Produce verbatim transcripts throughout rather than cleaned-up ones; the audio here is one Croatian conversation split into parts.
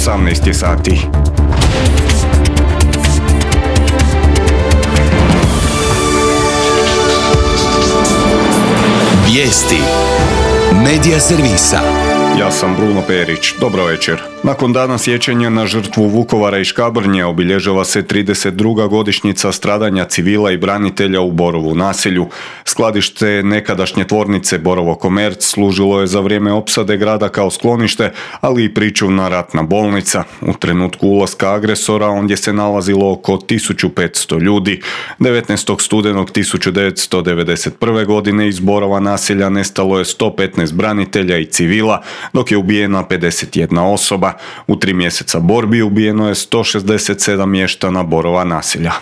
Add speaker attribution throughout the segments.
Speaker 1: osamnaest je sati.
Speaker 2: Vijesti Medija servisa.
Speaker 1: Ja sam Bruno Perić. Dobro večer. Nakon dana sjećanja na žrtvu Vukovara i Škabrnje obilježava se trideset druga godišnjica stradanja civila i branitelja u Borovu naselju. Skladište nekadašnje tvornice Borovo Komerc služilo je za vrijeme opsade grada kao sklonište, ali i pričuvna ratna bolnica. U trenutku ulaska agresora ondje se nalazilo oko tisuću petsto ljudi. devetnaestog studenog tisuću devetsto devedeset prve. godine iz Borova naselja nestalo je sto petnaest branitelja i civila, dok je ubijena pedeset jedna osoba. U tri mjeseca borbi ubijeno je sto šezdeset sedam mještana Borova naselja.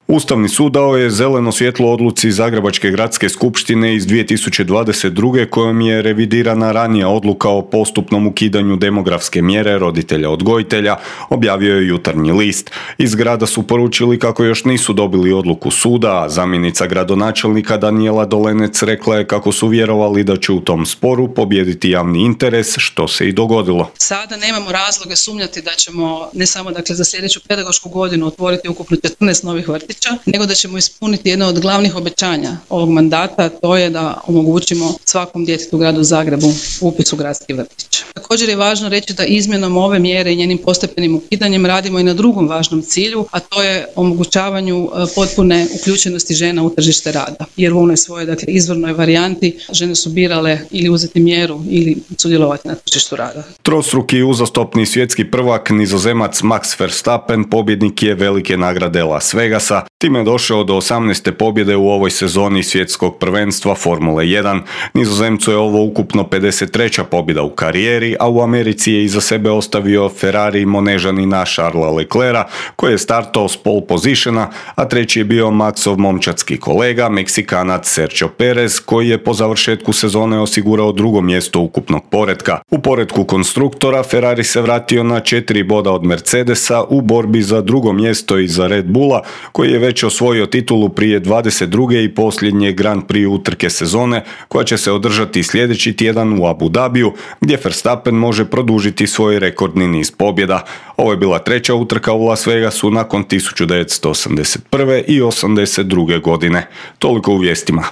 Speaker 1: Ustavni sud dao je zeleno svjetlo odluci Zagrebačke gradske skupštine iz dvije tisuće dvadeset druge. kojom je revidirana ranija odluka o postupnom ukidanju demografske mjere roditelja odgojitelja, objavio je Jutarnji list. Iz grada su poručili kako još nisu dobili odluku suda, a zamjenica gradonačelnika Danijela Dolenec rekla je kako su vjerovali da će u tom sporu pobijediti javni interes, što se i dogodilo.
Speaker 3: Sada nemamo razloga sumnjati da ćemo ne samo dakle za sljedeću pedagošku godinu otvoriti ukupno četrnaest novih vrtića, nego da ćemo ispuniti jedno od glavnih obećanja ovog mandata, to je da omogućimo svakom djetetu u gradu Zagrebu upis u gradski vrtić. Također je važno reći da izmjenom ove mjere i njenim postepenim ukidanjem radimo i na drugom važnom cilju, a to je omogućavanju potpune uključenosti žena u tržište rada. Jer u onoj svojoj dakle, izvornoj varijanti žene su birale ili uzeti mjeru ili sudjelovati na tržištu rada.
Speaker 1: Trostruki uzastopni svjetski prvak Nizozemac Max Verstappen pobjednik je velike nagrade Las Vegasa. Time je došao do osamnaeste pobjede u ovoj sezoni svjetskog prvenstva Formule jedan. Nizozemcu je ovo ukupno pedeset treća pobjeda u karijeri, a u Americi je iza sebe ostavio Ferrari Monežanina Charlesa Leclerca, koji je startao s pole positiona, a treći je bio Maxov momčadski kolega, Meksikanac Sergio Perez, koji je po završetku sezone osigurao drugo mjesto ukupnog poretka. U poretku konstruktora Ferrari se vratio na četiri boda od Mercedesa u borbi za drugo mjesto iza Red Bulla, koji je već osvojio titulu prije dvadeset druge i posljednje Grand Prix utrke sezone, koja će se održati sljedeći tjedan u Abu Dhabiju, gdje Verstappen može produžiti svoj rekordni niz pobjeda. Ovo je bila treća utrka u Las Vegasu nakon tisuću devetsto osamdeset prve i osamdeset druge. godine. Toliko u vijestima.